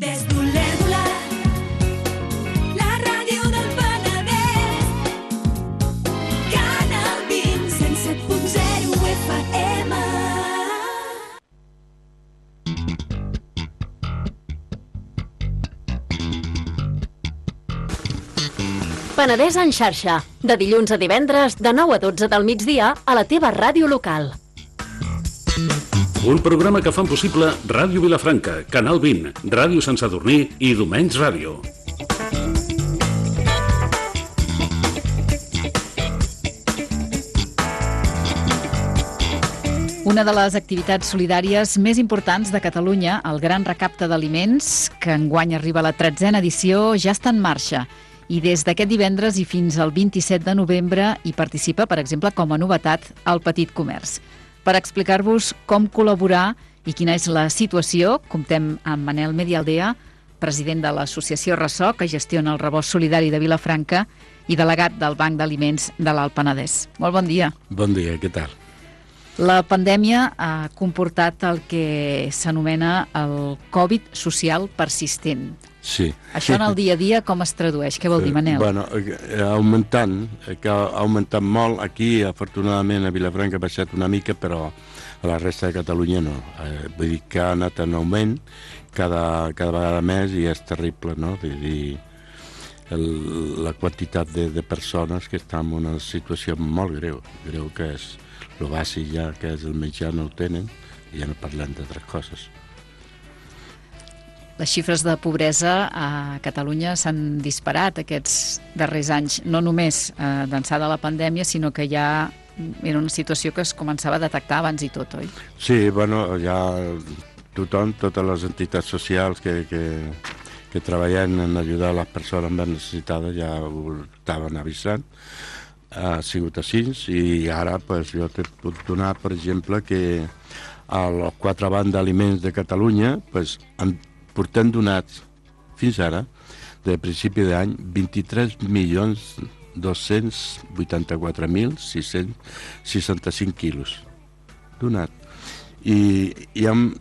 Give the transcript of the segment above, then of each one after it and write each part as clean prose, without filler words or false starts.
Des d'Olèrdola, la ràdio del Penedès, Canal 20, 107.0 FM. Penedès en xarxa, de dilluns a divendres, de 9 a 12 del migdia, a la teva ràdio local. Un programa que fan possible Ràdio Vilafranca, Canal 20, Ràdio Sant Sadurní i Domenys Ràdio. Una de les activitats solidàries més importants de Catalunya, el Gran Recapte d'Aliments, que enguany arriba a la 13a edició, ja està en marxa. I des d'aquest divendres i fins al 27 de novembre hi participa, per exemple, com a novetat, el Petit Comerç. Per explicar-vos com col·laborar i quina és la situació, comptem amb Manel Medialdea, president de l'associació Ressò, que gestiona el rebost solidari de Vilafranca, i delegat del Banc d'Aliments de l'Alt Penedès. Molt bon dia. Bon dia, què tal? La pandèmia ha comportat el que s'anomena el Covid social persistent. Sí. Això en el dia a dia com es tradueix? Què vol dir, Manel? Bueno, ha augmentat molt. Aquí, afortunadament, a Vilafranca ha baixat una mica, però a la resta de Catalunya no. Vull dir que ha anat en augment cada vegada més i és terrible, no? Vull dir, la quantitat de persones que estan en una situació molt greu que és el bàsic ja, que és el menjar, no ho tenen, i ja no parlem d'altres coses. Les xifres de pobresa a Catalunya s'han disparat aquests darrers anys, no només d'ençà de la pandèmia, sinó que ja era una situació que es començava a detectar abans i tot, oi? Sí, bueno, ja tothom, totes les entitats socials que treballen en ajudar les persones més necessitades ja ho estaven avisant. Ha sigut així i ara pues, jo te puc donar, per exemple, que a les 4 bancs d'aliments de Catalunya pues, portem donats fins ara, de principi d'any, 23.284.665 quilos donat. I hem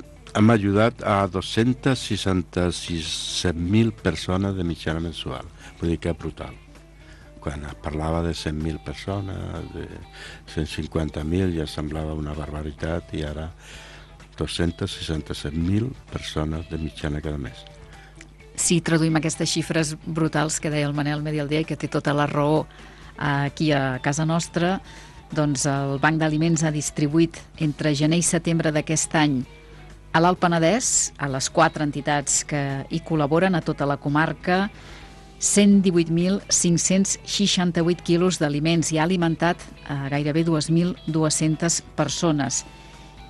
ajudat a 266.000 persones de mitjana mensual. Vull dir que és brutal. Quan es parlava de 100.000 persones, de 150.000, ja semblava una barbaritat, i ara 267.000 persones de mitjana cada mes. Si traduïm aquestes xifres brutals que deia el Manel Medialdea i que té tota la raó aquí a casa nostra, doncs el Banc d'Aliments ha distribuït entre gener i setembre d'aquest any a l'Alt Penedès, a les 4 entitats que hi col·laboren a tota la comarca, 118.568 quilos d'aliments i ha alimentat a gairebé 2.200 persones.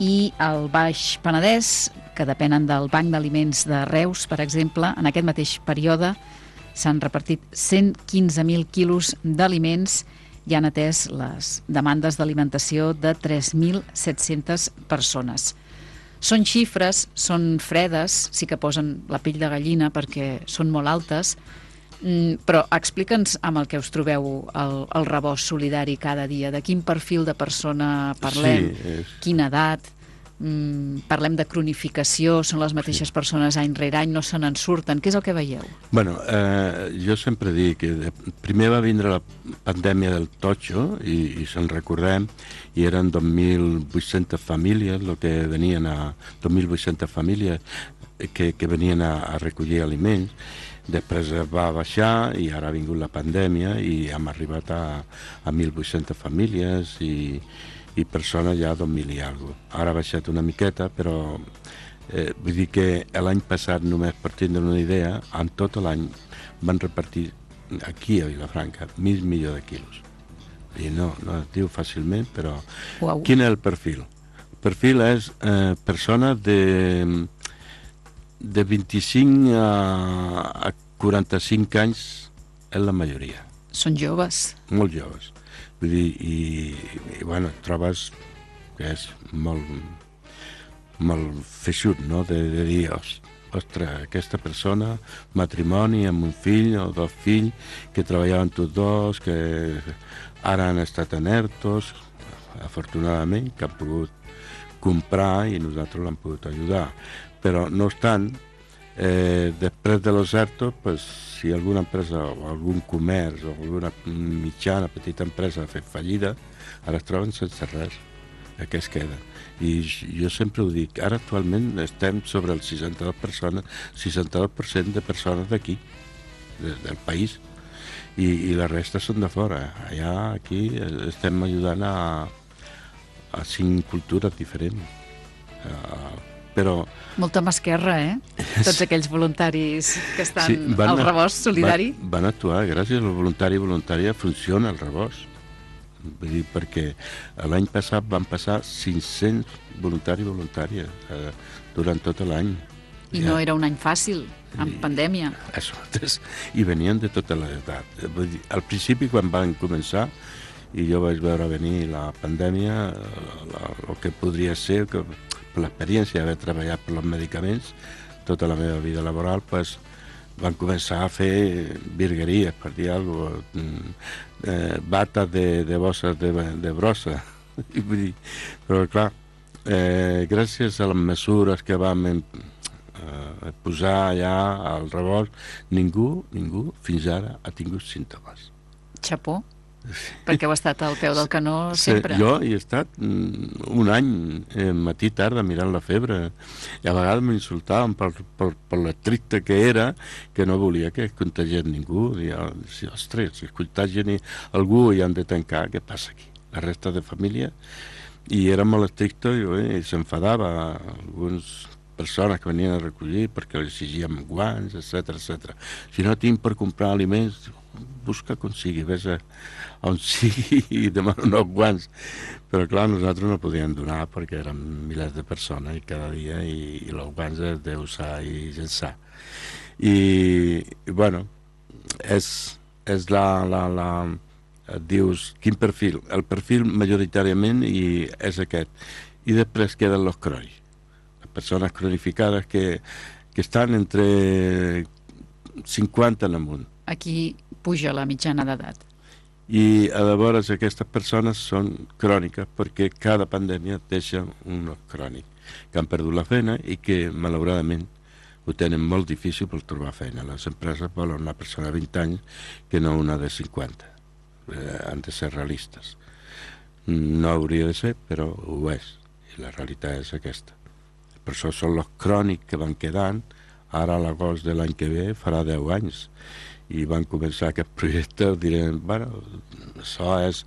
I al Baix Penedès, que depenen del Banc d'Aliments de Reus, per exemple, en aquest mateix període s'han repartit 115.000 quilos d'aliments i han atès les demandes d'alimentació de 3.700 persones. Són xifres, són fredes, sí que posen la pell de gallina perquè són molt altes, però explica'ns amb el que us trobeu el rebost solidari cada dia, de quin perfil de persona parlem, quina edat, parlem de cronificació, són les mateixes persones any rere any, no se n'en surten, què és el que veieu? Bueno, jo sempre dic que primer va vindre la pandèmia del totxo i se'n recordem, i eren 2.800 famílies, 2.800 famílies que venien a recollir aliments. Després va baixar i ara ha vingut la pandèmia i hem arribat a 1.800 famílies i persones ja 2.000 i alguna cosa. Ara ha baixat una miqueta, però vull dir que l'any passat, només per tindre una idea, en tot l'any van repartir aquí a Vilafranca 1.000 milions de quilos. I no es diu fàcilment, però... Uau. Quin és el perfil? El perfil és persones de 25 a 45 anys és la majoria. Són joves. Molt joves. Vull dir, i bueno, trobes que és molt feixut, no?, de dir, ostres, aquesta persona, matrimoni amb un fill o 2 fills, que treballaven tots dos, que ara han estat en ERTOs, afortunadament, que han pogut comprar i nosaltres l'hem pogut ajudar. Però, no obstant, Després de los ERTO, pues, si alguna empresa o algun comerç o alguna mitjana, petita empresa ha fet fallida, ara es troben sense res. Què es queda? I jo sempre ho dic, ara actualment estem sobre el 62% de persones d'aquí, del país, i la resta són de fora. Allà, aquí, estem ajudant a 5 cultures diferents. Però... Molta mà esquerra, Tots aquells voluntaris que estan al rebost solidari. Van actuar, gràcies al voluntari i voluntària funciona el rebost. Vull dir, perquè l'any passat van passar 500 voluntaris i voluntàries durant tot l'any. I no era un any fàcil, amb pandèmia. I venien de tota l'edat. Al principi, quan van començar, i jo vaig veure venir la pandèmia, el que podria ser, que per l'experiència d'haver treballat per els medicaments, tota la meva vida laboral, pues, van començar a fer virgueries, per dir alguna cosa, bates de bosses de brossa. Però, clar, gràcies a les mesures que vam posar allà al rebost, ningú fins ara ha tingut símptomes. Xapó, perquè heu estat al peu del canó sempre. Jo he estat un any, matí i tarda, mirant la febre, i a vegades m'insultaven per l'estricte que era, que no volia que es contagiés ningú. Ostres, si es contagien algú i han de tancar, què passa aquí? La resta de família, i era molt estricte i s'enfadava algunes persones que venien a recollir perquè els exigíem guants, etc. Si no tinc per comprar aliments, busca com sigui, vés a on sigui i demana uns guants. Però clar, nosaltres no podíem donar perquè eren milers de persones i cada dia, i els guants es d'usar i llençar. I bueno, és dius, quin perfil? El perfil majoritàriament és aquest. I després queden els crònics. Les persones cronificades que estan entre 50 en amunt. Aquí puja la mitjana d'edat. I llavors aquestes persones són cròniques perquè cada pandèmia deixa un crònic que han perdut la feina i que malauradament ho tenen molt difícil per trobar feina. Les empreses volen una persona de 20 anys que no una de 50. Han de ser realistes. No hauria de ser, però ho és. I la realitat és aquesta. Per això són els crònics que van quedant. Ara a l'agost de l'any que ve farà 10 anys. I van començar aquest projecte, direm, bueno, això és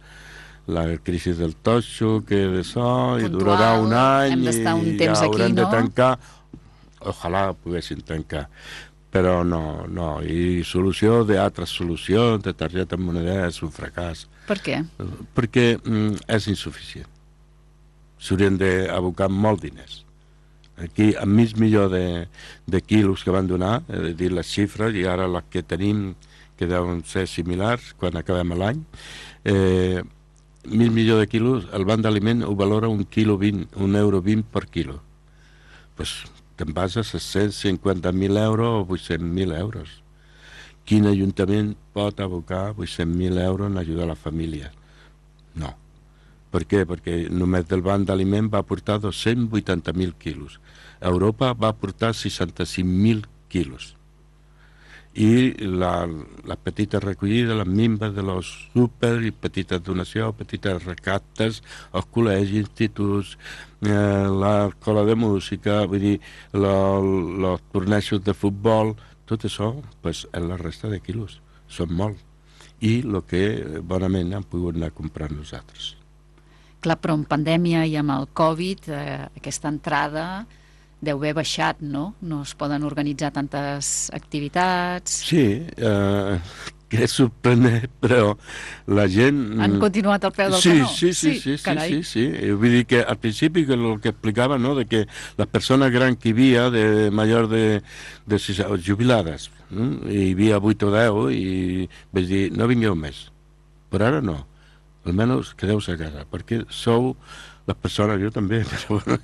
la crisi del totxo, que d'això, i durarà un any, hem d'estar un temps ja aquí, haurem de no? tancar. Ojalà poguessin tancar. Però no. I solució d'altres solucions, de targeta monedera, és un fracàs. Per què? Perquè és insuficient. S'haurien d'abocar molts diners. Aquí, amb mig milió de quilos que van donar, dir les xifres, i ara les que tenim, que deuen ser similars quan acabem l'any, mig milió de quilos, el banc d'aliment ho valora €1,20 per quilo. Doncs te'n vas a 750.000 euros o 800.000 euros. Quin ajuntament pot abocar 800.000 euros en ajudar a la família? No. Per què? Perquè només del banc d'aliment va aportar 280.000 quilos. Europa va aportar 65.000 quilos. I la petita recollida, les minves de los súper, i petites donacions, petites recaptes, els col·legis, instituts, l'escola de música, vull dir, els tornejos de futbol, tot això pues, és la resta de quilos. Són molt. I el que bonament hem pogut anar a comprar nosaltres. Clar, però en pandèmia i amb el Covid, aquesta entrada deu haver baixat, no? No es poden organitzar tantes activitats. Sí, que és sorprenent, però la gent... Han continuat al peu del canó? Sí. Vull dir que al principi el que explicava, no?, de que les persones grans que hi havia, de major de jubilades, hi havia 8 o 10, i vaig dir, no vingueu més. Però ara no. Almenys quedeu-se a casa, perquè sou les persones, jo també, però bueno,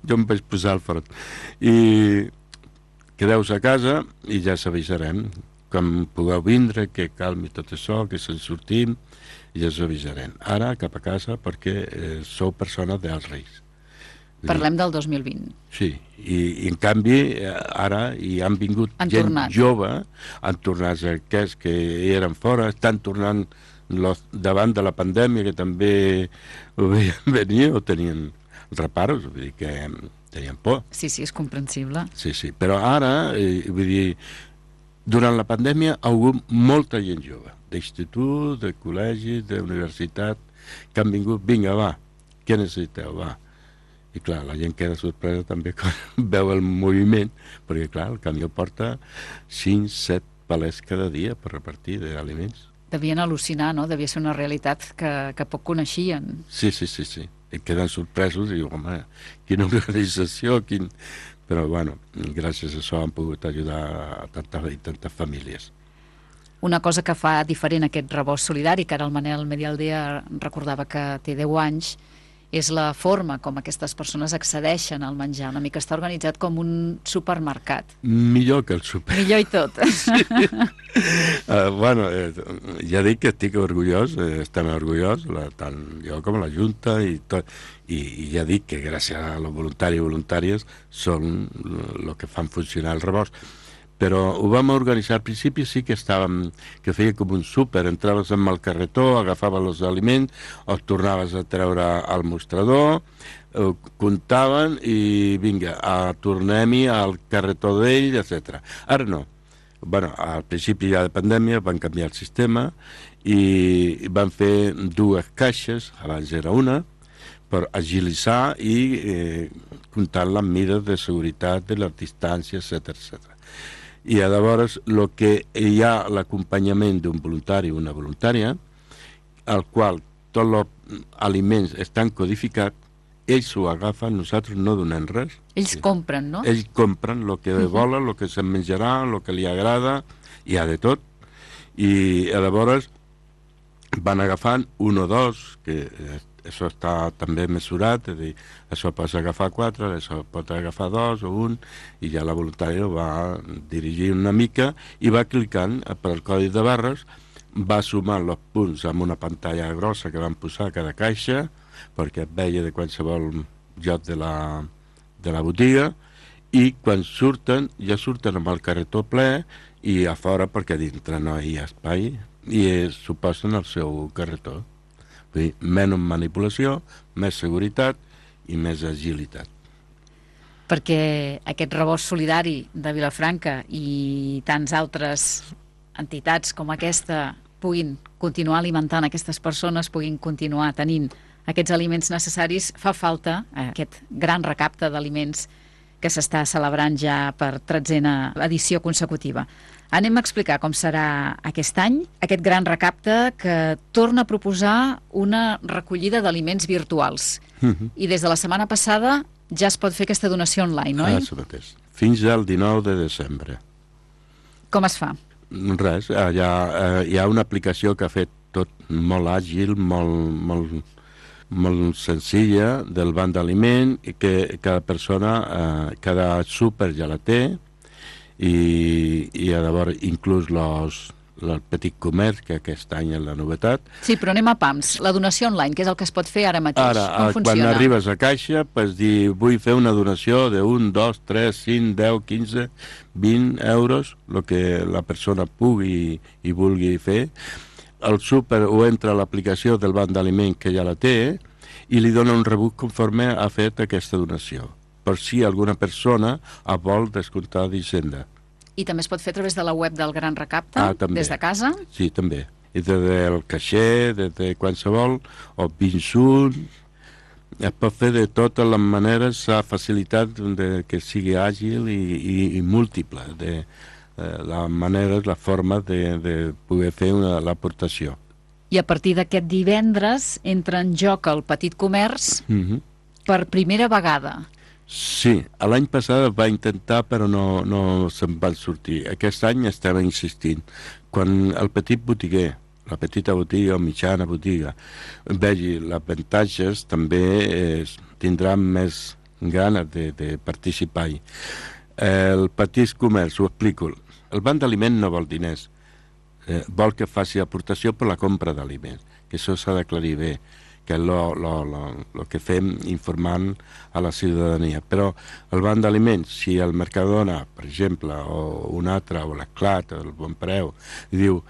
jo em vaig posar al front. I quedeu-se a casa i ja s'avisarem. Quan pugueu vindre, que calmi tot això, que se'n sortim, i ja us avisarem. Ara cap a casa perquè sou persones d'alt risc. Parlem del 2020. Sí, i en canvi ara hi han vingut gent jove, han tornat aquests que eren fora, estan tornant davant de la pandèmia, que també ho veien venir o tenien reparos, vull dir que tenien por. Sí, és comprensible. Sí, però ara, vull dir, durant la pandèmia ha hagut molta gent jove, d'institut, de col·legi, d'universitat, que han vingut, vinga, va, què necessiteu, va. I clar, la gent queda sorpresa també quan veu el moviment, perquè clar, el camió porta 5-7 palets cada dia per repartir d'aliments. Devien al·lucinar, no? Devia ser una realitat que poc coneixien. Sí. I queden sorpresos i diu, home, quina organització, Però, bueno, gràcies a això han pogut ajudar a tantes famílies. Una cosa que fa diferent aquest rebost solidari, que ara el Manel Medialdea recordava que té 10 anys, és la forma com aquestes persones accedeixen al menjar. Una mica està organitzat com un supermercat. Millor que el super. Millor i tot. Sí. Bueno, ja dic que estic orgullós, estem orgullosos, tant jo com la Junta i tot. I ja dic que gràcies a los voluntaris i voluntàries són el que fan funcionar el rebost. Però ho vam organitzar al principi, sí que feia com un súper, entraves amb el carretó, agafaves els aliments, els tornaves a treure al mostrador, comptaven i vinga, tornem-hi al carretó d'ell, etc. Ara no. Bueno, al principi ja de pandèmia van canviar el sistema i van fer 2 caixes, abans era una, per agilitzar i comptar les mides de seguretat, de les distàncies, etc. I llavors el que hi ha l'acompanyament d'un voluntari o una voluntària, al qual tots els aliments estan codificats, ells ho agafen, nosaltres no donem res. Ells compren, no? Ells compren el que volen, el que se'n menjarà, el que li agrada, hi ha de tot. I llavors van agafant 1 o 2, que això està també mesurat, és a dir, això pots agafar 4, això pot agafar 2 o 1, i ja la voluntària va dirigir una mica i va clicant per el codi de barres, va sumant els punts amb una pantalla grossa que van posar a cada caixa, perquè et veia de qualsevol lloc de la botiga, i quan surten, ja surten amb el carretó ple i a fora, perquè dintre no hi ha espai, i s'ho posen al seu carretó. Vull dir, menys manipulació, més seguretat i més agilitat. Perquè aquest rebost solidari de Vilafranca i tants altres entitats com aquesta puguin continuar alimentant aquestes persones, puguin continuar tenint aquests aliments necessaris, fa falta aquest gran recapte d'aliments que s'està celebrant ja per 13a edició consecutiva. Anem a explicar com serà aquest any, aquest gran recapte que torna a proposar una recollida d'aliments virtuals. I des de la setmana passada ja es pot fer aquesta donació online, no? Això mateix. Fins al 19 de desembre. Com es fa? Res, hi ha una aplicació que ha fet tot molt àgil, molt senzilla, del banc d'aliment, que cada persona, cada súper ja la té, i llavors inclús el petit comerç, que aquest any és la novetat. Sí, però anem a pams. La donació online, que és el que es pot fer ara mateix. Ara, quan arribes a caixa, pots dir, vull fer una donació de 1, 2, 3, 5, 10, 15, 20 euros, el que la persona pugui i vulgui fer. El súper ho entra a l'aplicació del banc d'aliment que ja la té i li dona un rebut conforme ha fet aquesta donació, per si alguna persona vol descomptar d'Hisenda. I també es pot fer a través de la web del Gran Recapte, des de casa? Sí, també. I des del caixer, des de qualsevol, o pinçut, es pot fer de totes les maneres, la facilitat que sigui àgil i múltiple, la manera, la forma de poder fer l'aportació. I a partir d'aquest divendres entra en joc el petit comerç per primera vegada. Sí, l'any passat va intentar però no se'n van sortir. Aquest any estem insistint. Quan el petit botiguer, la petita botiga o mitjana botiga, vegi les avantatges, també tindrà més ganes de participar-hi. El petit comerç, ho explico. El banc d'aliment no vol diners, vol que faci aportació per la compra d'aliments, que això s'ha d'aclarir bé, que és el que fem informant a la ciutadania. Però el banc d'aliments, si el Mercadona, per exemple, o un altre, o l'Esclat, o el Bon Preu, diu,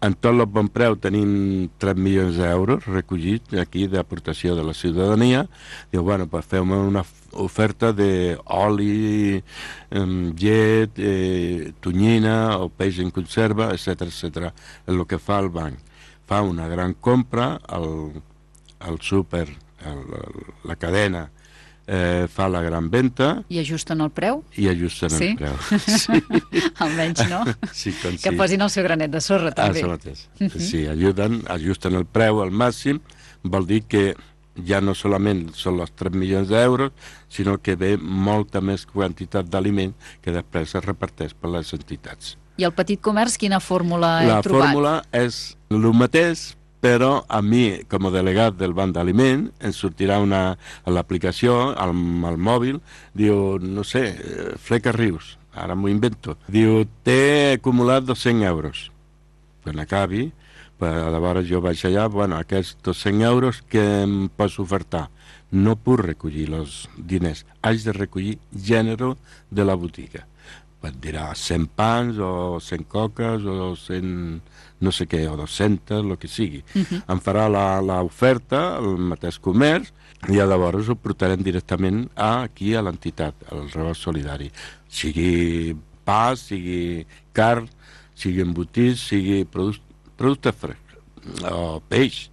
en tot el Bon Preu tenim 3 milions d'euros recollits aquí d'aportació de la ciutadania, diu, bueno, pues fem una oferta d'oli, llet, tonyina o peix en conserva, etc etc. És el que fa el banc. Fa una gran compra, el súper, la cadena, fa la gran venda... I ajusten el preu? I ajusten el preu. Sí? Almenys, no? Sí, que posin el seu granet de sorra, també. Això mateix. Sí, ajusten el preu al màxim, vol dir que ja no solament són els 3 milions d'euros, sinó que ve molta més quantitat d'aliment que després es reparteix per les entitats. I el petit comerç, quina fórmula he trobat? La fórmula és el mateix, però a mi, com a delegat del banc d'aliment, ens sortirà a l'aplicació, al mòbil, diu, no sé, Fleca Rius, ara m'ho invento, diu, té acumulat 200 euros. Quan acabi, llavors jo vaig allà, bueno, aquests 200 euros que em pots ofertar, no puc recollir els diners, haig de recollir gènere de la botiga. Et dirà 100 pans o 100 coques o 100 no sé què, o 200, el que sigui. Em farà l'oferta, el mateix comerç, i llavors ho portarem directament aquí a l'entitat, al rebost solidari. Sigui pa, sigui carn, sigui embotit, sigui producte fresc, o peix.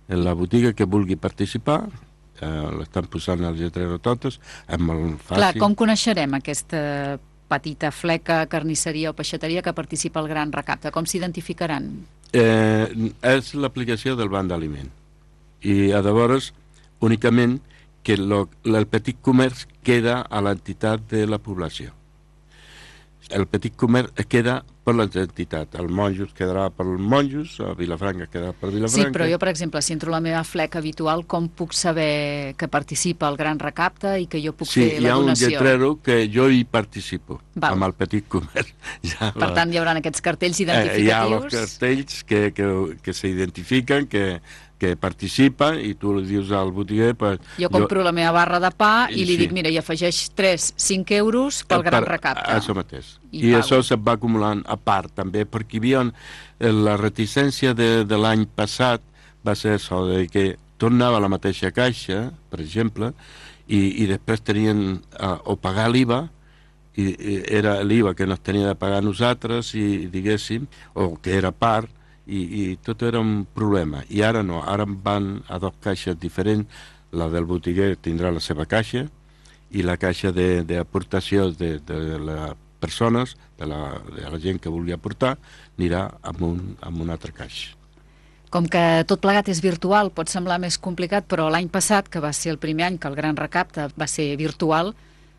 En la botiga que vulgui participar, l'estan posant al lletrero totes, és molt fàcil. Clar, com coneixerem aquesta petita fleca, carnisseria o peixateria que participa al Gran Recapte? Com s'identificaran? És l'aplicació del banc d'aliment. I llavors, únicament, que el petit comerç queda a l'entitat de la població. El petit comerç queda per l'entitat. El Monjos quedarà per els Monjos, a Vilafranca quedarà per Vilafranca. Sí, però jo, per exemple, si entro la meva fleca habitual, com puc saber que participa al Gran Recapte i que jo puc fer la donació? Sí, hi ha un lletrero que jo hi participo, amb el petit comerç. Per tant, hi haurà aquests cartells identificatius? Hi ha els cartells que s'identifiquen, que participa, i tu li dius al botiguer... Jo compro la meva barra de pa i li dic, mira, i afegeix 3-5 euros pel Gran Recapte. Això mateix. I això se'n va acumulant a part, també, perquè hi havia la reticència de l'any passat, va ser això, que tornava a la mateixa caixa, per exemple, i després tenien o pagar l'IVA, i era l'IVA que no es tenia de pagar nosaltres, i diguéssim, o que era part, i tot era un problema. I ara no, ara van a dues caixes diferents, la del botiguer tindrà la seva caixa i la caixa d'aportació de les persones, de la gent que vulgui aportar, anirà amb una altra caixa. Com que tot plegat és virtual, pot semblar més complicat, però l'any passat, que va ser el primer any que el Gran Recapte va ser virtual,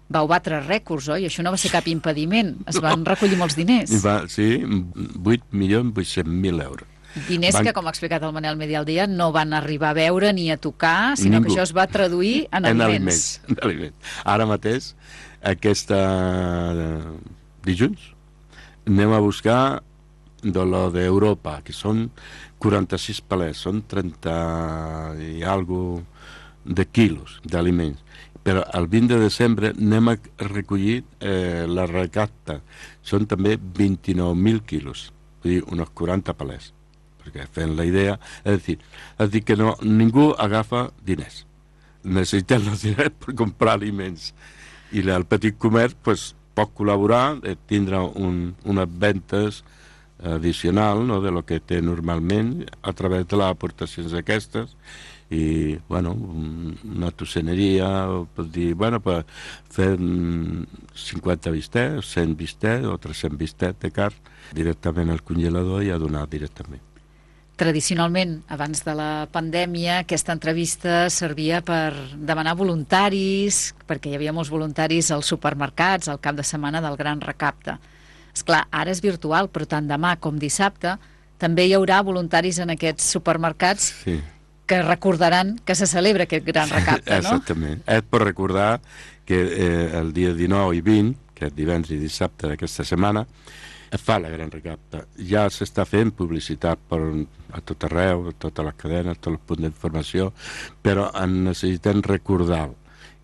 vau batre rècords, oi? Això no va ser cap impediment. Es van recollir molts diners. Sí, 8.800.000 euros. Diners que, com ha explicat el Manel Medialdia, no van arribar a veure ni a tocar, sinó que això es va traduir en aliments. En aliments. Ara mateix, aquesta dilluns, anem a buscar de lo d'Europa, que són 46 palets, són 30 i alguna de quilos d'aliments. Però el 20 de desembre anem a recollir la recapta. Són també 29.000 quilos, vull dir, uns 40 palets, perquè fent la idea, és dir que no, ningú agafa diners. Necessitem els diners per comprar aliments. I el petit comerç pot col·laborar, tindrà unes ventes addicional, no, de lo que té normalment a través de les aportacions aquestes, i, bueno, una tosseneria, pot dir, bueno, per fer 50 bistets, 100 bistets o 300 bistets de carn directament al congelador i a donar directament. Tradicionalment, abans de la pandèmia, aquesta entrevista servia per demanar voluntaris, perquè hi havia molts voluntaris als supermercats al cap de setmana del Gran Recapte. Esclar, ara és virtual, però tant demà com dissabte també hi haurà voluntaris en aquests supermercats que recordaran que se celebra aquest Gran Recapte, no? Exactament. És per recordar que el dia 19 i 20, aquest divendres i dissabte d'aquesta setmana, es fa la gran recapta. Ja s'està fent publicitat a tot arreu, a totes les cadenes, a tots els punts d'informació, però necessitem recordar-ho.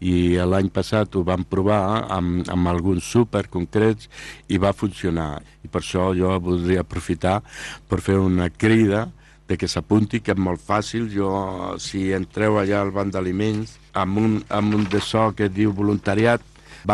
I l'any passat ho vam provar amb alguns súper concrets i va funcionar. I per això jo voldria aprofitar per fer una crida de que s'apunti, que és molt fàcil. Si entreu allà al banc d'aliments, amb un de so que diu voluntariat /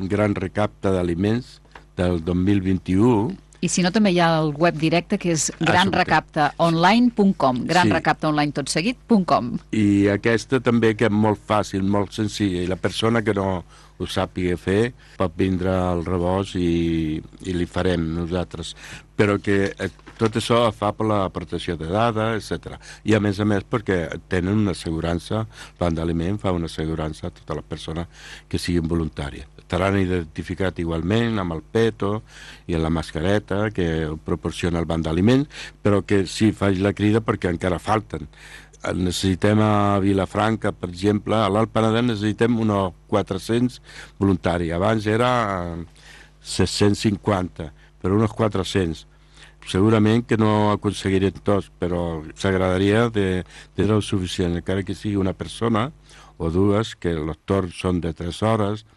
gran recapta d'aliments del 2021. I si no, també hi ha el web directe, que és granrecaptaonline.com, granrecaptaonline.com. I aquesta també, que és molt fàcil, molt senzilla, i la persona que no ho sàpiga fer pot vindre al rebost i li farem nosaltres. Però que tot això es fa per la protecció de dades, etc. I a més perquè tenen una assegurança, el banc d'aliment fa una assegurança a totes les persones que siguin voluntàries. Estaran identificats igualment amb el peto i amb la mascareta que proporciona el banc d'aliments, però que sí, faig la crida perquè encara falten. Necessitem a Vilafranca, per exemple, a l'Alt Penedès necessitem uns 400 voluntaris. Abans era 650, però uns 400. Segurament que no aconseguirem tots, però s'agradaria de ser suficient, encara que sigui una persona o dues, que els torns són de 3 hores,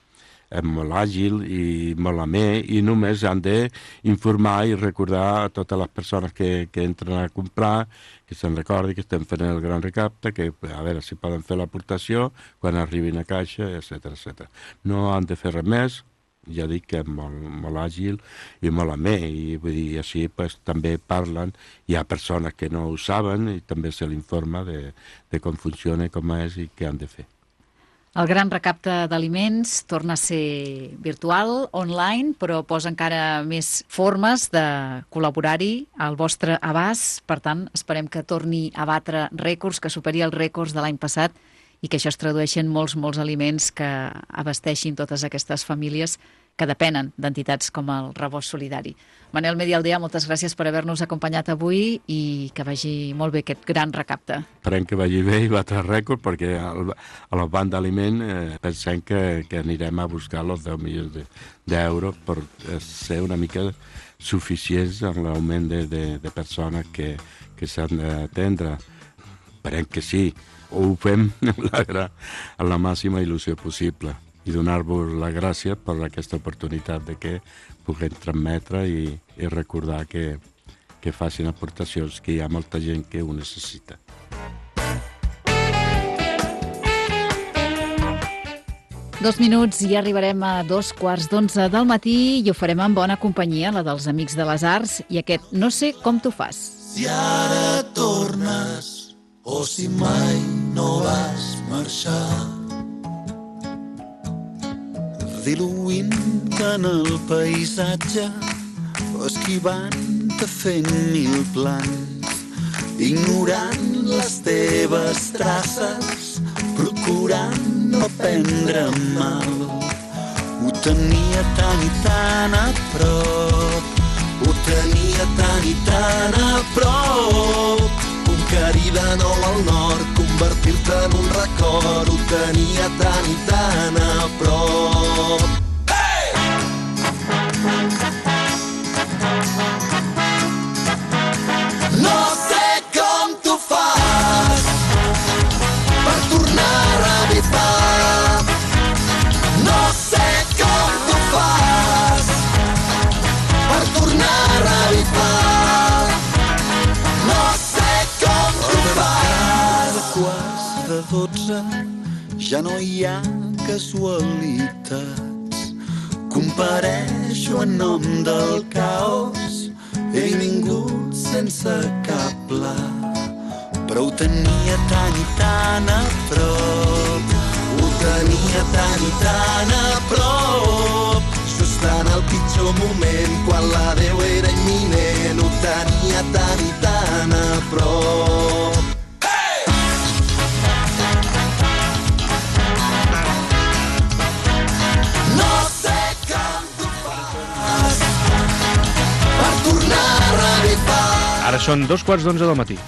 és molt àgil i molt amè, i només han d'informar i recordar a totes les persones que entren a comprar, que se'n recordi que estem fent el gran recapte, que a veure si poden fer l'aportació quan arribin a caixa, etc. No han de fer res més, ja dic que és molt àgil i molt amè, i vull dir, així també parlen, hi ha persones que no ho saben i també se l'informa de com funciona, com és i què han de fer. El gran recapte d'aliments torna a ser virtual, online, però posa encara més formes de col·laborar-hi al vostre abast. Per tant, esperem que torni a batre rècords, que superi els rècords de l'any passat i que això es tradueixi en molts aliments que abasteixin totes aquestes famílies que depenen d'entitats com el Rebost Solidari. Manel Medialdea, moltes gràcies per haver-nos acompanyat avui i que vagi molt bé aquest gran recapte. Esperem que vagi bé i batre rècord, perquè al banc d'aliment pensem que anirem a buscar els 10 milions d'euros per ser una mica suficients en l'augment de persones que s'han d'atendre. Esperem que sí, ho fem amb la màxima il·lusió possible. I donar-vos la gràcia per aquesta oportunitat de que puguem transmetre i recordar que facin aportacions, que hi ha molta gent que ho necessita. Dos minuts i arribarem a 11:15 del matí i ho farem en bona companyia, la dels Amics de les Arts, i aquest No sé com tu fas. Si ara tornes o si mai no vas marxar, diluint en el paisatge o esquivant-te fent 1000 plans, ignorant les teves traces, procurant no prendre mal. Ho tenia tan i tan a prop, ho tenia tan i tan a prop, conquerir de nou al nord, convertir-te en un record, ho tenia tan i tan a prop. Hey! No sé com tu fas per tornar a revifar, no sé com tu fas per tornar a revifar, no sé com tu fas. A quarts de 12 ja no hi ha casualitats, compareixo en nom del caos, he vingut sense cap pla, però ho tenia tan i tan a prop, ho tenia tan i tan a prop, just en el pitjor moment, quan l'adeu era imminent, ho tenia tan i tan a prop. Ara són 11:15 del matí.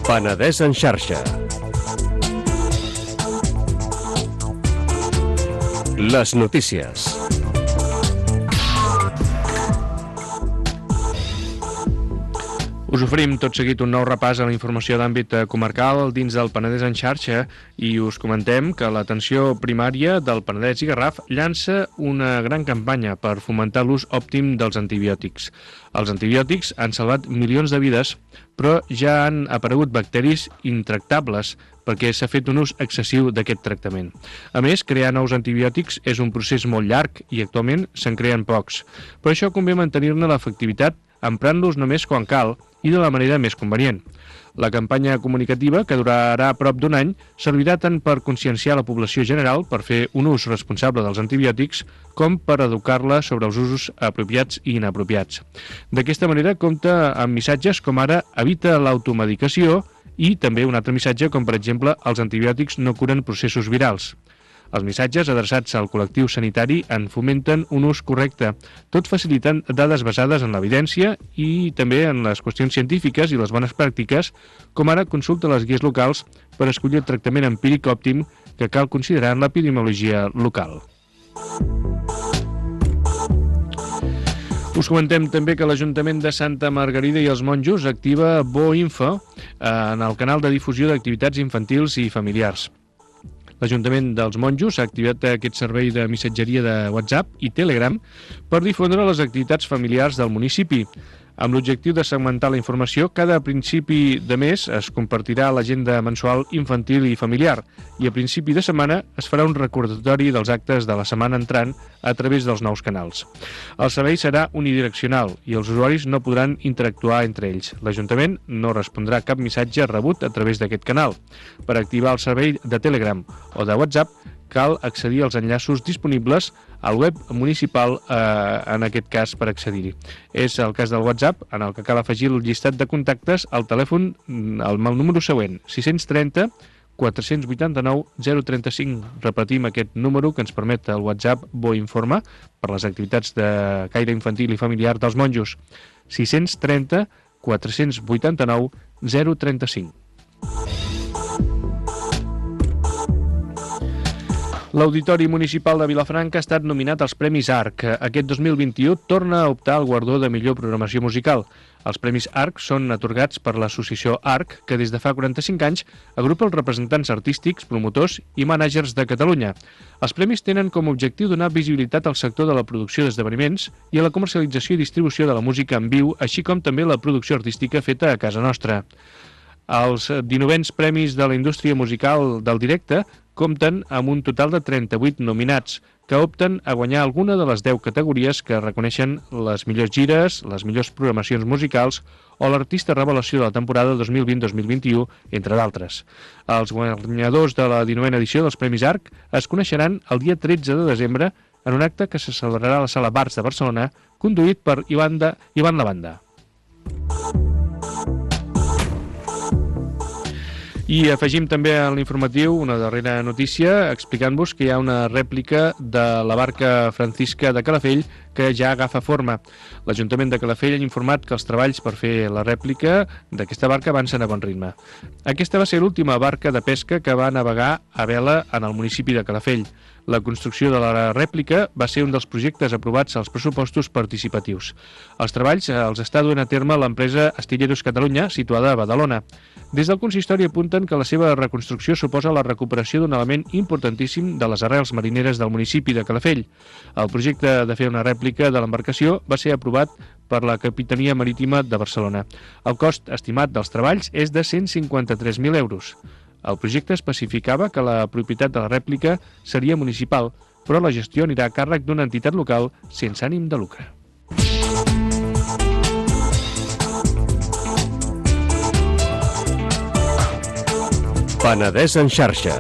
Penedès en xarxa. Les notícies. Us oferim tot seguit un nou repàs a la informació d'àmbit comarcal dins del Penedès en xarxa i us comentem que l'atenció primària del Penedès i Garraf llança una gran campanya per fomentar l'ús òptim dels antibiòtics. Els antibiòtics han salvat milions de vides, però ja han aparegut bacteris intractables perquè s'ha fet un ús excessiu d'aquest tractament. A més, crear nous antibiòtics és un procés molt llarg i actualment se'n creen pocs. Per això convé mantenir-ne l'efectivitat emprant-los només quan cal i de la manera més convenient. La campanya comunicativa, que durarà prop d'un any, servirà tant per conscienciar la població general per fer un ús responsable dels antibiòtics com per educar-la sobre els usos apropiats i inapropiats. D'aquesta manera compta amb missatges com ara evita l'automedicació i també un altre missatge com per exemple els antibiòtics no curen processos virals. Els missatges adreçats al col·lectiu sanitari en fomenten un ús correcte, tot facilitant dades basades en l'evidència i també en les qüestions científiques i les bones pràctiques, com ara consulta les guies locals per escollir el tractament empíric òptim que cal considerar en l'epidemiologia local. Us comentem també que l'Ajuntament de Santa Margarida i els Monjos activa BoInfo en el canal de difusió d'activitats infantils i familiars. L'Ajuntament dels Monjos ha activat aquest servei de missatgeria de WhatsApp i Telegram per difondre les activitats familiars del municipi. Amb l'objectiu de segmentar la informació, cada principi de mes es compartirà l'agenda mensual infantil i familiar i a principi de setmana es farà un recordatori dels actes de la setmana entrant a través dels nous canals. El servei serà unidireccional i els usuaris no podran interactuar entre ells. L'Ajuntament no respondrà cap missatge rebut a través d'aquest canal. Per activar el servei de Telegram o de WhatsApp cal accedir als enllaços disponibles al web municipal, en aquest cas, per accedir-hi. És el cas del WhatsApp, en el que cal afegir el llistat de contactes al telèfon amb el número següent, 630 489 035. Repetim aquest número que ens permet el WhatsApp BoInforma per les activitats de caire infantil i familiar dels monjos. 630 489 035. L'Auditori Municipal de Vilafranca ha estat nominat als Premis ARC. Aquest 2021 torna a optar al guardó de millor programació musical. Els Premis ARC són atorgats per l'associació ARC, que des de fa 45 anys agrupa els representants artístics, promotors i mànagers de Catalunya. Els premis tenen com a objectiu donar visibilitat al sector de la producció d'esdeveniments i a la comercialització i distribució de la música en viu, així com també la producció artística feta a casa nostra. Els 19 premis de la indústria musical del directe compten amb un total de 38 nominats, que opten a guanyar alguna de les 10 categories que reconeixen les millors gires, les millors programacions musicals o l'artista revelació de la temporada 2020-2021, entre d'altres. Els guanyadors de la 19a edició dels Premis ARC es coneixeran el dia 13 de desembre en un acte que se celebrarà a la Sala Bars de Barcelona, conduït per Ivan Lavanda. I afegim també a l'informatiu una darrera notícia explicant-vos que hi ha una rèplica de la barca Francisca de Calafell que ja agafa forma. L'Ajuntament de Calafell ha informat que els treballs per fer la rèplica d'aquesta barca avancen a bon ritme. Aquesta va ser l'última barca de pesca que va navegar a vela en el municipi de Calafell. La construcció de la rèplica va ser un dels projectes aprovats als pressupostos participatius. Els treballs els està duent a terme l'empresa Astilleros Catalunya, situada a Badalona. Des del consistori apunten que la seva reconstrucció suposa la recuperació d'un element importantíssim de les arrels marineres del municipi de Calafell. El projecte de fer una rèplica de l'embarcació va ser aprovat per la Capitania Marítima de Barcelona. El cost estimat dels treballs és de 153.000 euros. El projecte especificava que la propietat de la rèplica seria municipal, però la gestió anirà a càrrec d'una entitat local sense ànim de lucre. Penedès en xarxa.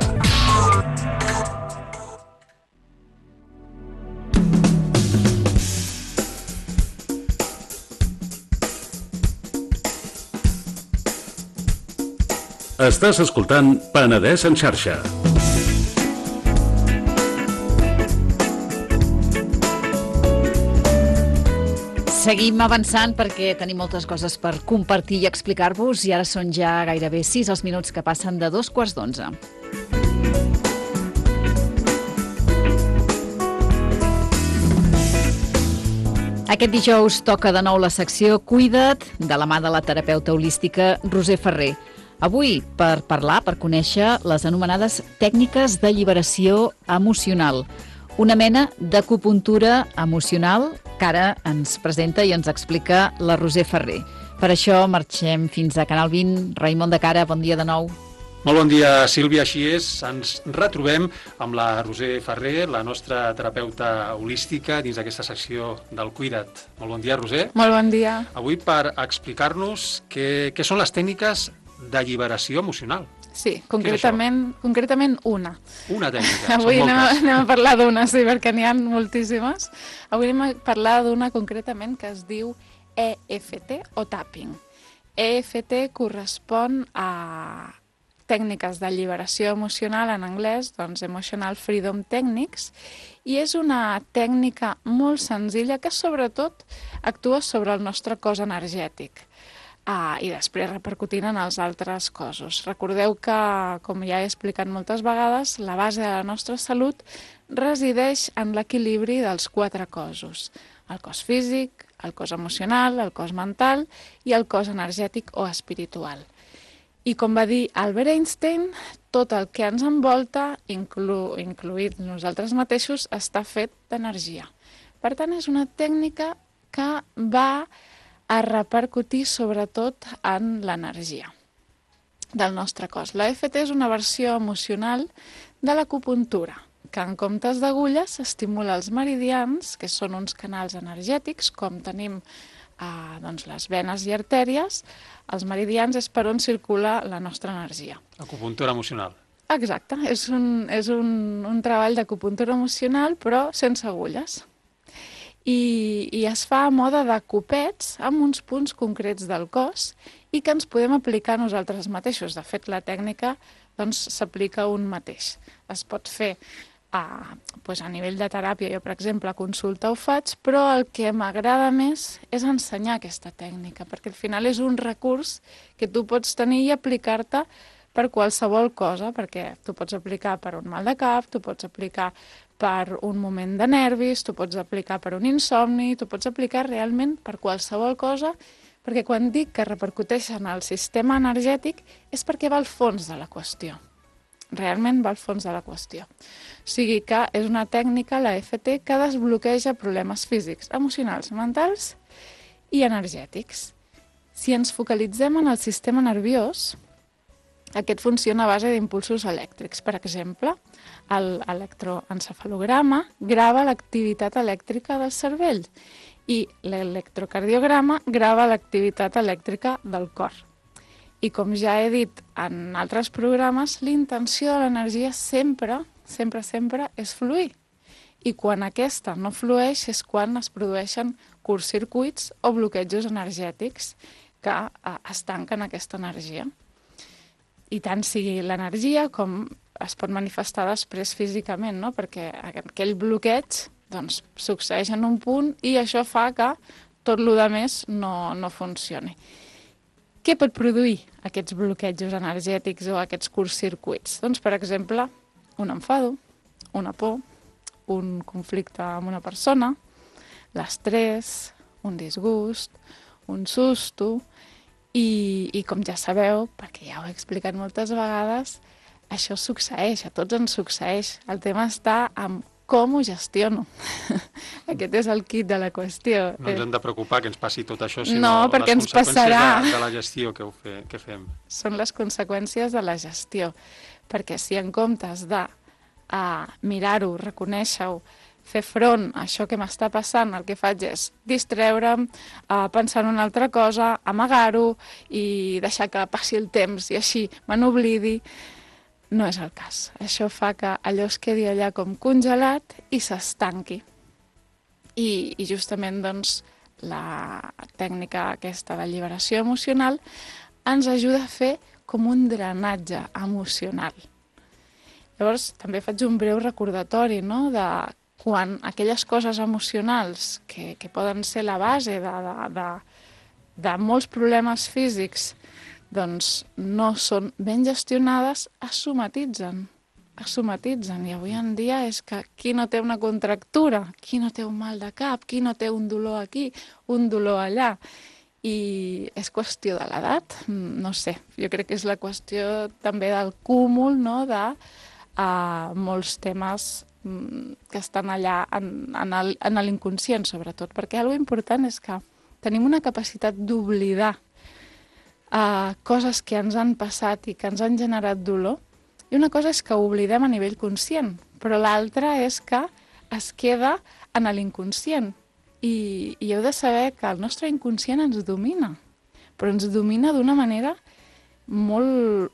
Estàs escoltant Penedès en xarxa. seguim avançant perquè tenim moltes coses per compartir i explicar-vos i ara són ja gairebé 6 els minuts que passen de 2:15. Aquest dijous toca de nou la secció Cuida't, de la mà de la terapeuta holística Roser Ferrer. Avui per parlar, per conèixer les anomenades tècniques d'alliberació emocional. Una mena d'acupuntura emocional que ara ens presenta i ens explica la Roser Ferrer. Per això marxem fins a Canal 20. Raimon de Cara, bon dia de nou. Molt bon dia, Sílvia. Així és, ens retrobem amb la Roser Ferrer, la nostra terapeuta holística, dins d'aquesta secció del Cuida't. Molt bon dia, Roser. Molt bon dia. Avui per explicar-nos què són les tècniques d'alliberació emocional. Sí, concretament una. Una tècnica, Avui són moltes. anem a parlar d'una, sí, perquè n'hi ha moltíssimes. Avui anem a parlar d'una concretament que es diu EFT o tapping. EFT correspon a tècniques d'alliberació emocional en anglès, doncs Emotional Freedom Techniques, i és una tècnica molt senzilla que sobretot actua sobre el nostre cos energètic i després repercutint en els altres cossos. Recordeu que, com ja he explicat moltes vegades, la base de la nostra salut resideix en l'equilibri dels 4 cossos: el cos físic, el cos emocional, el cos mental i el cos energètic o espiritual. I com va dir Albert Einstein, tot el que ens envolta, incluït nosaltres mateixos, està fet d'energia. Per tant, és una tècnica que va a repercutir sobretot en l'energia del nostre cos. La EFT és una versió emocional de l'acupuntura, que en comptes d'agulles estimula els meridians, que són uns canals energètics, com tenim les venes i artèries. Els meridians és per on circula la nostra energia. Acupuntura emocional. Exacte, és un treball d'acupuntura emocional, però sense agulles. I es fa a mode de copets amb uns punts concrets del cos i que ens podem aplicar nosaltres mateixos. De fet, la tècnica s'aplica un mateix. Es pot fer a nivell de teràpia. Jo, per exemple, a consulta ho faig, però el que m'agrada més és ensenyar aquesta tècnica, perquè al final és un recurs que tu pots tenir i aplicar-te per qualsevol cosa, perquè tu pots aplicar per un mal de cap, tu pots aplicar per un moment de nervis, tu pots aplicar per un insomni, tu pots aplicar realment per qualsevol cosa, perquè quan dic que repercuteix en el sistema energètic és perquè va al fons de la qüestió. Realment va al fons de la qüestió. O sigui que és una tècnica, la EFT, que desbloqueja problemes físics, emocionals, mentals i energètics. Si ens focalitzem en el sistema nerviós, aquest funciona a base d'impulsos elèctrics. Per exemple, l'electroencefalograma grava l'activitat elèctrica del cervell i l'electrocardiograma grava l'activitat elèctrica del cor. I com ja he dit en altres programes, l'intenció de l'energia sempre és fluir. I quan aquesta no flueix és quan es produeixen curtcircuits o bloquejos energètics que estanquen aquesta energia. I tant sigui l'energia com es pot manifestar després físicament, no? Perquè aquell bloqueig succeeix en un punt i això fa que tot el més no funcioni. Què pot produir aquests bloquejos energètics o aquests curtcircuits? Doncs, per exemple, un enfado, una por, un conflicte amb una persona, l'estrès, un disgust, un susto i com ja sabeu, perquè ja ho he explicat moltes vegades, això succeeix, a tots ens succeeix. El tema està en com ho gestiono. Aquest és el kit de la qüestió. No ens hem de preocupar que ens passi tot això, sinó no, perquè les ens passarà. conseqüències de la gestió que fem. Són les conseqüències de la gestió, perquè si en comptes de mirar-ho, reconèixer-ho, fer front a això que m'està passant, el que faig és distreure'm, pensar en una altra cosa, amagar-ho i deixar que passi el temps i així me n'oblidi, no és el cas. Això fa que allò es quedi allà com congelat i s'estanqui. I justament la tècnica aquesta d'alliberació emocional ens ajuda a fer com un drenatge emocional. Llavors, també faig un breu recordatori, no?, de quan aquelles coses emocionals que poden ser la base de molts problemes físics doncs no són ben gestionades, es somatitzen. I avui en dia és que qui no té una contractura, qui no té un mal de cap, qui no té un dolor aquí, un dolor allà. I és qüestió de l'edat, no sé, jo crec que és la qüestió també del cúmul, no?, de molts temes que estan allà en l'inconscient, sobretot, perquè algo important és que tenim una capacitat d'oblidar coses que ens han passat i que ens han generat dolor, i una cosa és que ho oblidem a nivell conscient, però l'altra és que es queda en l'inconscient. I heu de saber que el nostre inconscient ens domina, però ens domina d'una manera molt,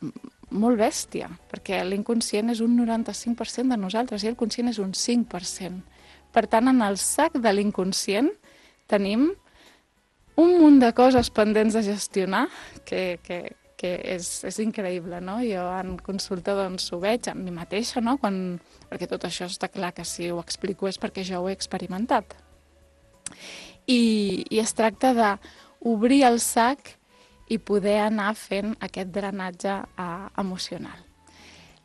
molt bèstia, perquè l'inconscient és un 95% de nosaltres i el conscient és un 5%. Per tant, en el sac de l'inconscient tenim un munt de coses pendents de gestionar que és increïble, no? Jo en consulta doncs ho veig a mi mateixa, no? Perquè tot això està clar que si ho explico és perquè jo ho he experimentat. I es tracta d'obrir el sac i poder anar fent aquest drenatge emocional.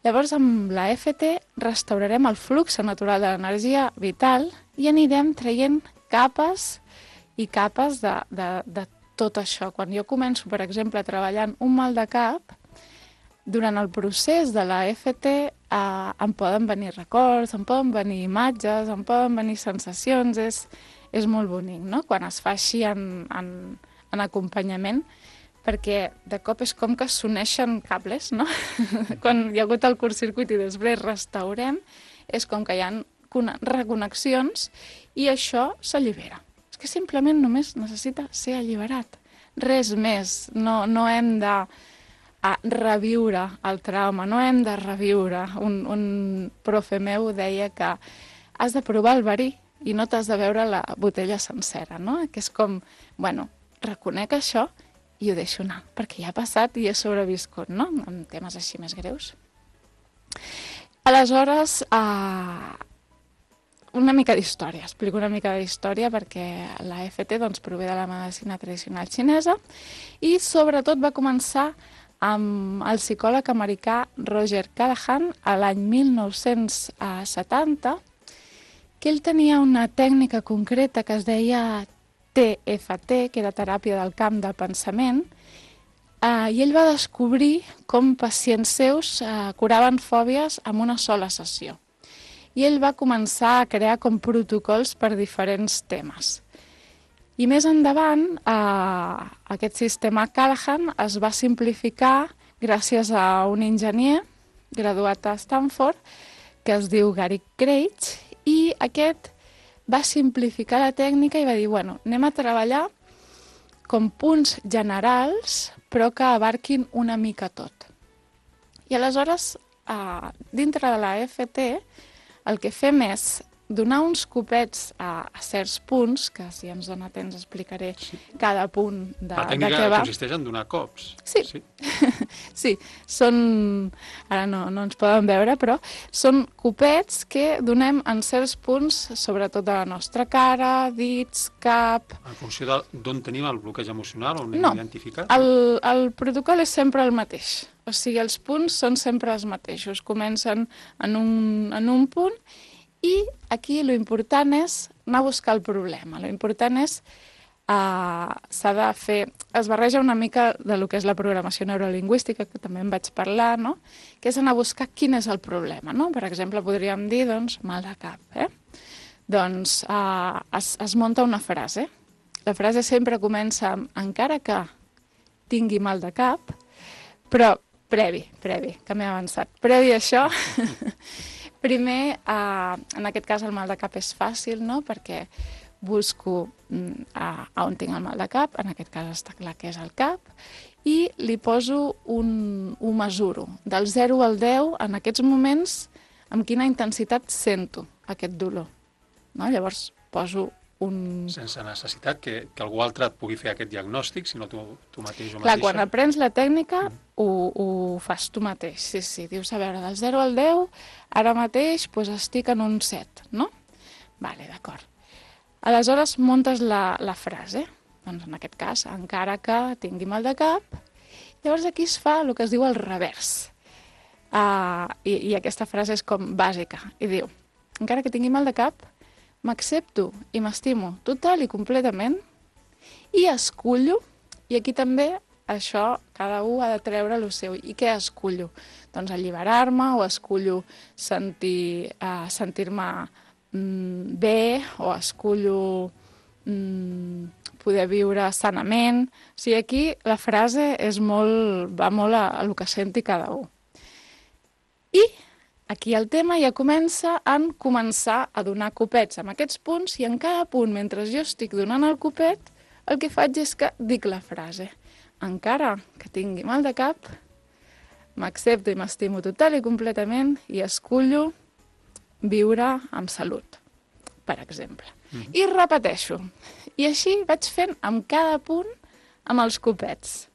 Llavors, amb la EFT restaurarem el flux natural de l'energia vital i anirem traient capes i capes de tot això. Quan jo començo, per exemple, treballant un mal de cap, durant el procés de la EFT em poden venir records, em poden venir imatges, em poden venir sensacions, és molt bonic, no?, quan es fa així en acompanyament, perquè de cop és com que s'uneixen cables, no? Quan hi ha hagut el curtcircuit i després restaurem, és com que hi ha reconnexions i això s'allibera. És que simplement només necessita ser alliberat. Res més. No hem de reviure el trauma, no hem de reviure. Un profe meu deia que has de provar el verí i no t'has de veure la botella sencera, no? Que és com, bueno, reconec això i ho deixo anar, perquè ja ha passat i he sobreviscut, no?, en temes així més greus. Aleshores, una mica d'història, explico una mica d'història perquè la EFT doncs, prové de la medicina tradicional xinesa i sobretot va començar amb el psicòleg americà Roger Callahan a l'any 1970, que ell tenia una tècnica concreta que es deia TFT, que era teràpia del camp del pensament, i ell va descobrir com pacients seus curaven fòbies amb una sola sessió. I ell va començar a crear com protocols per diferents temes. I més endavant, aquest sistema Callahan es va simplificar gràcies a un enginyer graduat a Stanford que es diu Gary Craig, i aquest va simplificar la tècnica i va dir, bueno, anem a treballar com punts generals, però que abarquin una mica tot. I aleshores, dintre de la EFT, el que fem és donar uns copets a certs punts, que si ens dona temps explicaré cada punt de què va. La tècnica consisteix en donar cops. Sí, sí, són, ara no ens poden veure, però són copets que donem en certs punts, sobretot de la nostra cara, dits, cap... En funció d'on tenim el bloqueig emocional, on hem identificat? No, el protocol és sempre el mateix. O sigui, els punts són sempre els mateixos. Comencen en un punt i aquí l'important és anar a buscar el problema. L'important és, s'ha de fer, es barreja una mica de lo que és la programació neurolingüística, que també en vaig parlar, no?, que és anar a buscar quin és el problema, no? Per exemple, podríem dir, doncs, mal de cap, Doncs es munta una frase. La frase sempre comença amb, encara que tingui mal de cap, però previ, que m'he avançat. Previ a això... Primer, en aquest cas el mal de cap és fàcil, no?, perquè busco on tinc el mal de cap, en aquest cas està clar que és el cap, i li poso ho mesuro, del 0 al 10, en aquests moments, amb quina intensitat sento aquest dolor. No? Llavors poso sense necessitat que algú altre et pugui fer aquest diagnòstic, sinó tu mateix o mateixa. Clar, quan aprens la tècnica ho fas tu mateix, sí, dius, a veure, del 0 al 10, ara mateix estic en un 7, no? Vale, d'acord. Aleshores, muntes la frase. Doncs en aquest cas, encara que tingui mal de cap. Llavors aquí es fa el que es diu el revers. I aquesta frase és com bàsica. I diu, encara que tingui mal de cap, m'accepto i m'estimo total i completament i escullo, i aquí també això cada un ha de treure el seu. I què escullo? Doncs alliberar-me o escullo sentir-me bé o escullo poder viure sanament. O sigui, aquí la frase va molt a el que senti cada un. I aquí el tema ja comença en començar a donar copets amb aquests punts i en cada punt, mentre jo estic donant el copet, el que faig és que dic la frase. Encara que tingui mal de cap, m'accepto i m'estimo total i completament i escullo viure amb salut, per exemple. I repeteixo. I així vaig fent amb cada punt amb els copets.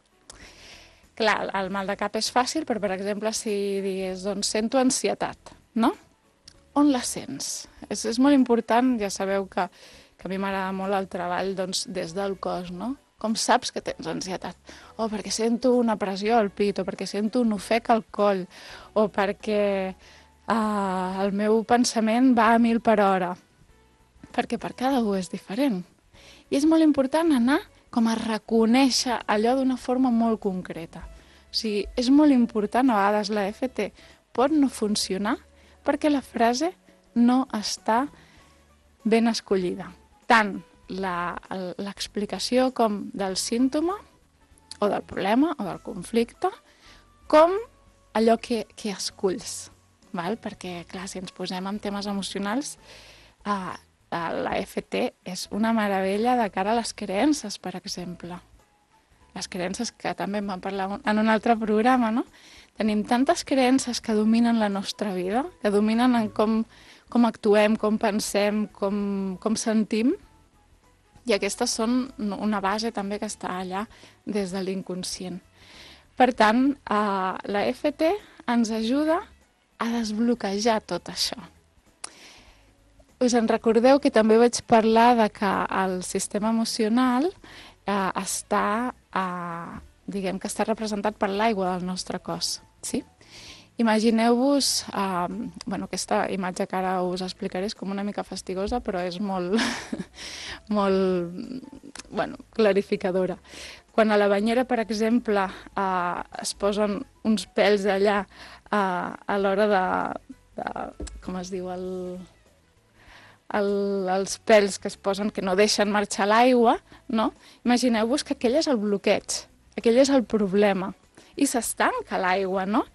Clar, el mal de cap és fàcil, però, per exemple, si digués, doncs, sento ansietat, no? On la sents? És molt important, ja sabeu que a mi m'agrada molt el treball doncs, des del cos, no? Com saps que tens ansietat? O perquè sento una pressió al pit, o perquè sento un ofec al coll, o perquè el meu pensament va a 1000 per hora. Perquè per cada un és diferent. I és molt important anar com a reconèixer allò d'una forma molt concreta. O sigui, és molt important, a vegades la EFT pot no funcionar perquè la frase no està ben escollida. Tant l'explicació com del símptoma, o del problema, o del conflicte, com allò que esculls. Val? Perquè, clar, si ens posem en temes emocionals, la EFT és una meravella de cara a les creences, per exemple. Les creences que també en vam parlar en un altre programa, no? Tenim tantes creences que dominen la nostra vida, que dominen en com actuem, com pensem, com sentim, i aquestes són una base també que està allà des de l'inconscient. Per tant, la EFT ens ajuda a desbloquejar tot això. Us en recordeu que també vaig parlar de que el sistema emocional està representat per l'aigua del nostre cos, sí? Imagineu-vos, aquesta imatge que ara us explicaré és com una mica fastigosa, però és molt clarificadora. Quan a la banyera, per exemple, es posen uns pèls allà a l'hora de com es diu, els pèls que es posen que no deixen marxar l'aigua, no? Imagineu-vos que aquell és el bloqueig, aquell és el problema, i s'estanca l'aigua, no?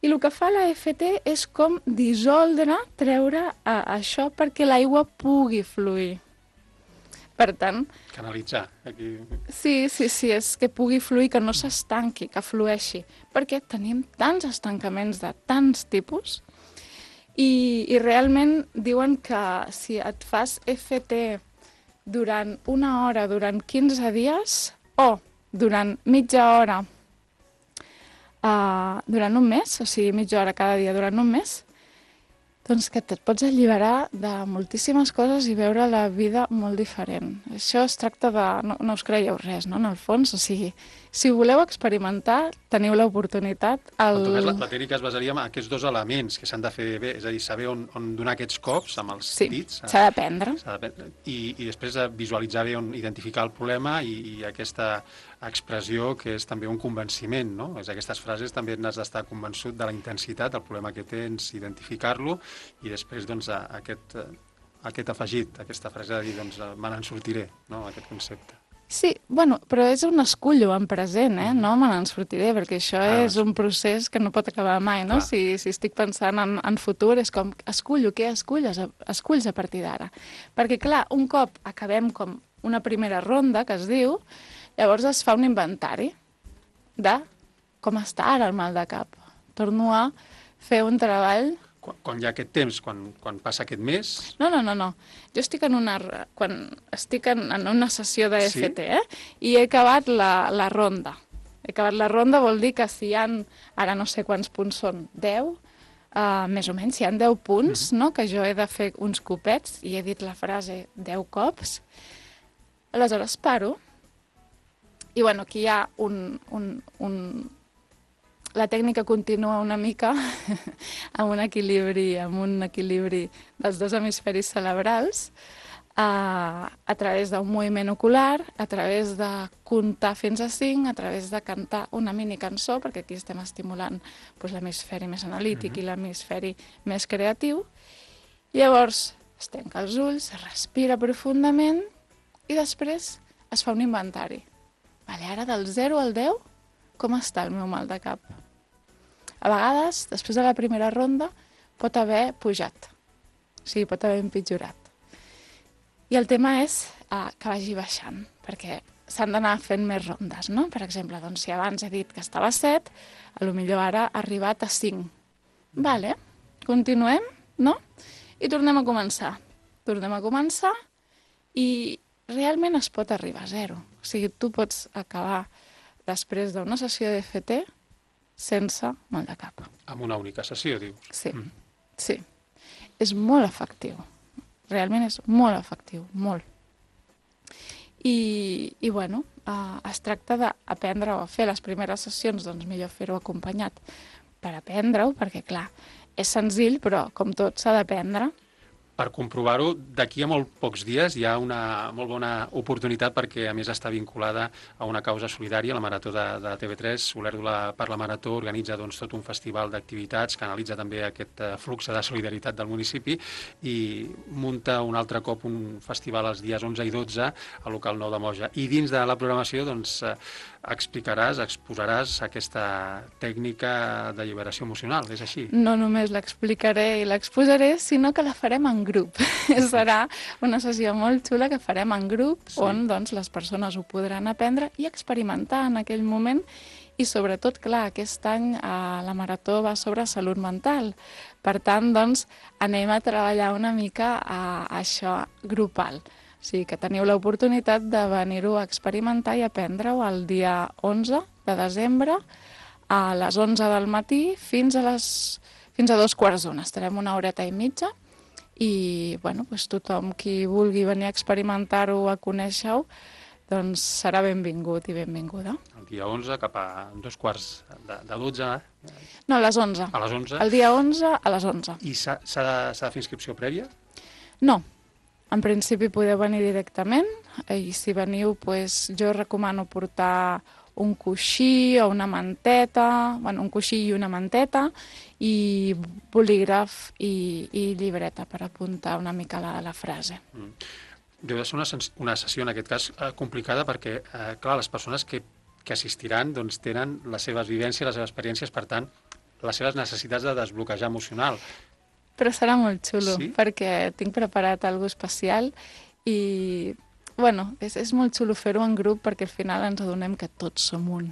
I el que fa la EFT és com dissoldre, treure això perquè l'aigua pugui fluir. Per tant... Canalitzar. Aquí. Sí, és que pugui fluir, que no s'estanqui, que flueixi. Perquè tenim tants estancaments de tants tipus i realment diuen que si et fas EFT durant 1 hora, durant 15 dies, o durant mitja hora, durant un mes, o sigui, mitja hora cada dia durant un mes, doncs que et pots alliberar de moltíssimes coses i veure la vida molt diferent. Això es tracta de... No us creieu res, no?, en el fons. O sigui, si voleu experimentar, teniu l'oportunitat. En tot cas, la tècnica es basaria en aquests 2 elements que s'han de fer bé, és a dir, saber on donar aquests cops amb els dits. S'ha d'aprendre. I després visualitzar bé on identificar el problema i aquesta expressió que és també un convenciment, no? És aquestes frases també n'has d'estar convençut de la intensitat del problema que tens, identificar-lo, i després doncs, aquest afegit, aquesta frase de dir doncs, me n'en sortiré, no? Aquest concepte. Sí, però és un escullo en present, no me n'en sortiré, perquè això és un procés que no pot acabar mai, no? Si estic pensant en futur, és com, escullo, què esculls a partir d'ara? Perquè, clar, un cop acabem com una primera ronda, que es diu, llavors es fa un inventari de com està ara el mal de cap. Torno a fer un treball... Quan hi ha aquest temps, quan passa aquest mes... No. Jo estic quan estic en una sessió d'EFT, i he acabat la ronda. He acabat la ronda vol dir que si hi ha, ara no sé quants punts són, 10, més o menys, hi ha 10 punts, no? Que jo he de fer uns copets i he dit la frase 10 cops. Aleshores paro i bueno, aquí hi ha la tècnica continua una mica amb un equilibri dels dos hemisferis cerebrals, a través d'un moviment ocular, a través de comptar fins a 5, a través de cantar una mini cançó, perquè aquí estem estimulant l'hemisferi més analític i l'hemisferi més creatiu. Llavors es tanca els ulls, es respira profundament i després es fa un inventari. Vale, ara del 0 al 10, com està el meu mal de cap? A vegades, després de la primera ronda, pot haver pujat, o sigui, pot haver empitjorat. I el tema és que vagi baixant, perquè s'han d'anar fent més rondes, no? Per exemple, doncs, si abans he dit que estava a 7, potser ara ha arribat a 5. Vale, continuem, no? I tornem a començar. Tornem a començar i realment es pot arribar a 0. O sigui, tu pots acabar després d'una sessió d'EFT sense mal de cap. Amb una única sessió, dius? Sí, sí. És molt efectiu. Realment és molt efectiu, molt. I bueno, es tracta d'aprendre a fer les primeres sessions, doncs millor fer-ho acompanyat per aprendre-ho, perquè clar, és senzill, però com tot s'ha d'aprendre. Per comprovar-ho, d'aquí a molt pocs dies hi ha una molt bona oportunitat perquè, a més, està vinculada a una causa solidària. La Marató de TV3, Olèrdola per la Marató, organitza tot un festival d'activitats que analitza també aquest flux de solidaritat del municipi i munta un altre cop un festival els dies 11 i 12 al local 9 de Moja. I dins de la programació exposaràs aquesta tècnica d'alliberació emocional, és així? No només l'explicaré i l'exposaré, sinó que la farem en grup. Serà una sessió molt xula que farem en grup, on doncs, les persones ho podran aprendre i experimentar en aquell moment. I sobretot, clar, aquest any la Marató va sobre salut mental. Per tant, doncs, anem a treballar una mica a això grupal. O sigui, que teniu l'oportunitat de venir-ho a experimentar i aprendre-ho el dia 11 de desembre a les 11 del matí fins a 2:15. Estarem una horeta i mitja i bueno, doncs tothom qui vulgui venir a experimentar-ho, a conèixer-ho, doncs serà benvingut i benvinguda. El dia 11 cap a 2:15. No, a les 11. A les 11? El dia 11 a les 11. I s'ha de fer inscripció prèvia? No. En principi podeu venir directament i si veniu, doncs, jo recomano portar un coixí o una manteta, bueno, un coixí i una manteta i bolígraf i llibreta per apuntar una mica la frase. Deu de ser una sessió, en aquest cas, complicada perquè, clar, les persones que assistiran doncs, tenen les seves vivències, les seves experiències, per tant, les seves necessitats de desbloquejar emocional. Però serà molt xulo, sí? Perquè tinc preparat alguna especial i, bueno, és molt xulo fer-ho en grup perquè al final ens adonem que tots som un.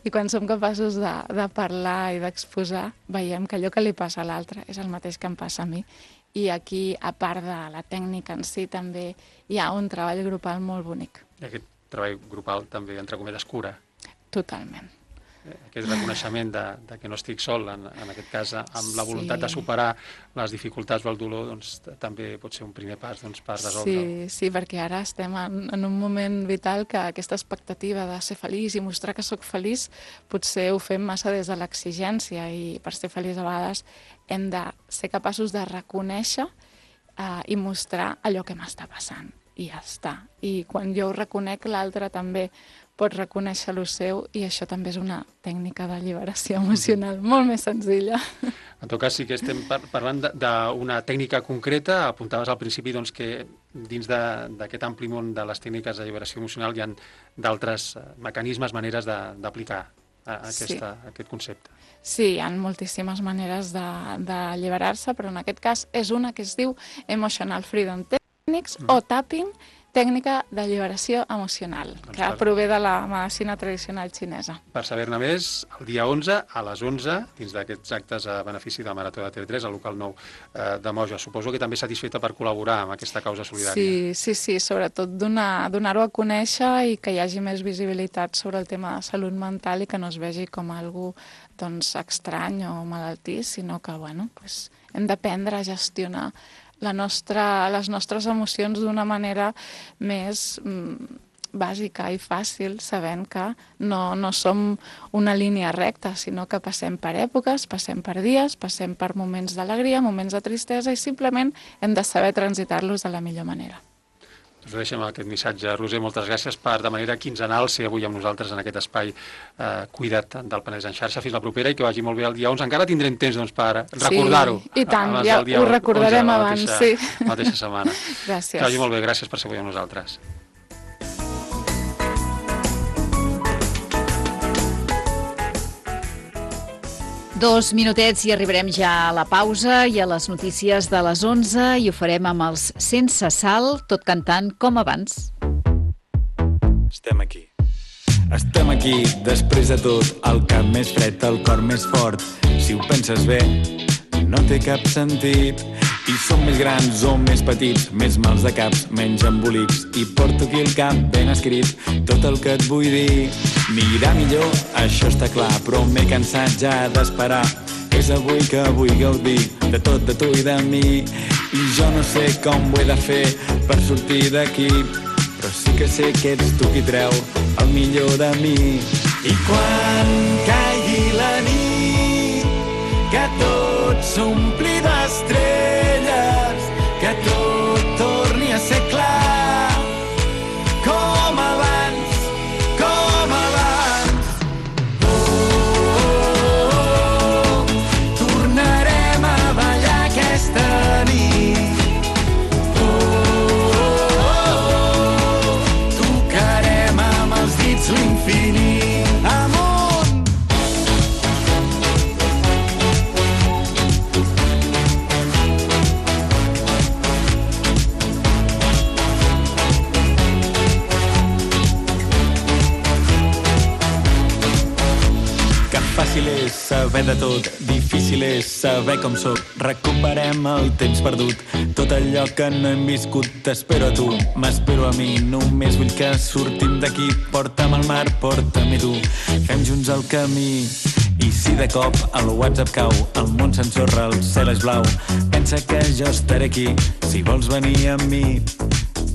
I quan som capaços de parlar i d'exposar, veiem que allò que li passa a l'altre és el mateix que em passa a mi. I aquí, a part de la tècnica en si, també hi ha un treball grupal molt bonic. I aquest treball grupal també, entre cometes, cura. Totalment. Aquest reconeixement de que no estic sol, en aquest cas, amb la voluntat de superar les dificultats o el dolor, doncs també pot ser un primer pas per resoldre-ho. Sí, perquè ara estem en un moment vital que aquesta expectativa de ser feliç i mostrar que sóc feliç potser ho fem massa des de l'exigència i per ser feliç a vegades hem de ser capaços de reconèixer i mostrar allò que m'està passant. I ja està. I quan jo ho reconec, l'altre també pot reconèixer lo seu i això també és una tècnica d'alliberació emocional molt més senzilla. En tot cas, sí que estem parlant d'una tècnica concreta. Apuntaves al principi doncs, que dins d'aquest ampli món de les tècniques d'alliberació emocional hi ha d'altres mecanismes, maneres d'aplicar aquest concepte. Sí, hi ha moltíssimes maneres d'alliberar-se, però en aquest cas és una que es diu Emotional Freedom Techniques o Tapping, tècnica d'alliberació emocional, que prové de la medicina tradicional xinesa. Per saber-ne més, el dia 11 a les 11, dins d'aquests actes a benefici de Marató de TV3, al local 9 de Moja. Suposo que també satisfeta per col·laborar amb aquesta causa solidària. Sí, sobretot donar-ho a conèixer i que hi hagi més visibilitat sobre el tema de salut mental i que no es vegi com algo estrany o malaltís, sinó que hem d'aprendre a gestionar les nostres emocions d'una manera més bàsica i fàcil, sabent que no som una línia recta, sinó que passem per èpoques, passem per dies, passem per moments d'alegria, moments de tristesa, i simplement hem de saber transitar-los de la millor manera. Us deixem aquest missatge. Roser, moltes gràcies per, de manera quinzenal, ser avui amb nosaltres en aquest espai cuidat del Penedès en xarxa. Fins la propera i que vagi molt bé el dia 11. Encara tindrem temps per recordar-ho. Sí, i tant, ja ho recordarem abans, sí. La mateixa setmana. Gràcies. Que vagi molt bé, gràcies per ser avui amb nosaltres. Dos minutets i arribarem ja a la pausa i a les notícies de les 11 i ho farem amb els Sense Sal, tot cantant com abans. Estem aquí. Estem aquí, després de tot, el cap més fred, el cor més fort. Si ho penses bé, no té cap sentit. I som més grans o més petits, més mals de caps, menys embolics. I porto aquí el cap ben escrit, tot el que et vull dir. Anirà millor, això està clar, però m'he cansat ja d'esperar. És avui que vull gaudir de tot, de tu i de mi. I jo no sé com ho he de fer per sortir d'aquí, però sí que sé que ets tu qui treu el millor de mi. I quan caigui la nit, que tot s'ompli d'estrelles, que tot torni a ser clar, com abans, com abans. Tornarem a ballar aquesta nit. Tocarem amb els dits l'infinit. Amunt! Fàcil és saber de tot, difícil és saber com soc. Recuperem el temps perdut, tot allò que no hem viscut. T'espero a tu, m'espero a mi, només vull que sortim d'aquí. Porta'm al mar, porta-m'hi tu, fem junts el camí. I si de cop el WhatsApp cau, el món s'ensorra, el cel és blau, pensa que jo estaré aquí, si vols venir amb mi.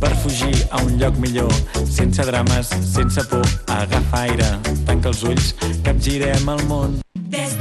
Per fugir a un lloc millor, sense drames, sense por, agafa aire, tanca els ulls, capgirem el món. Des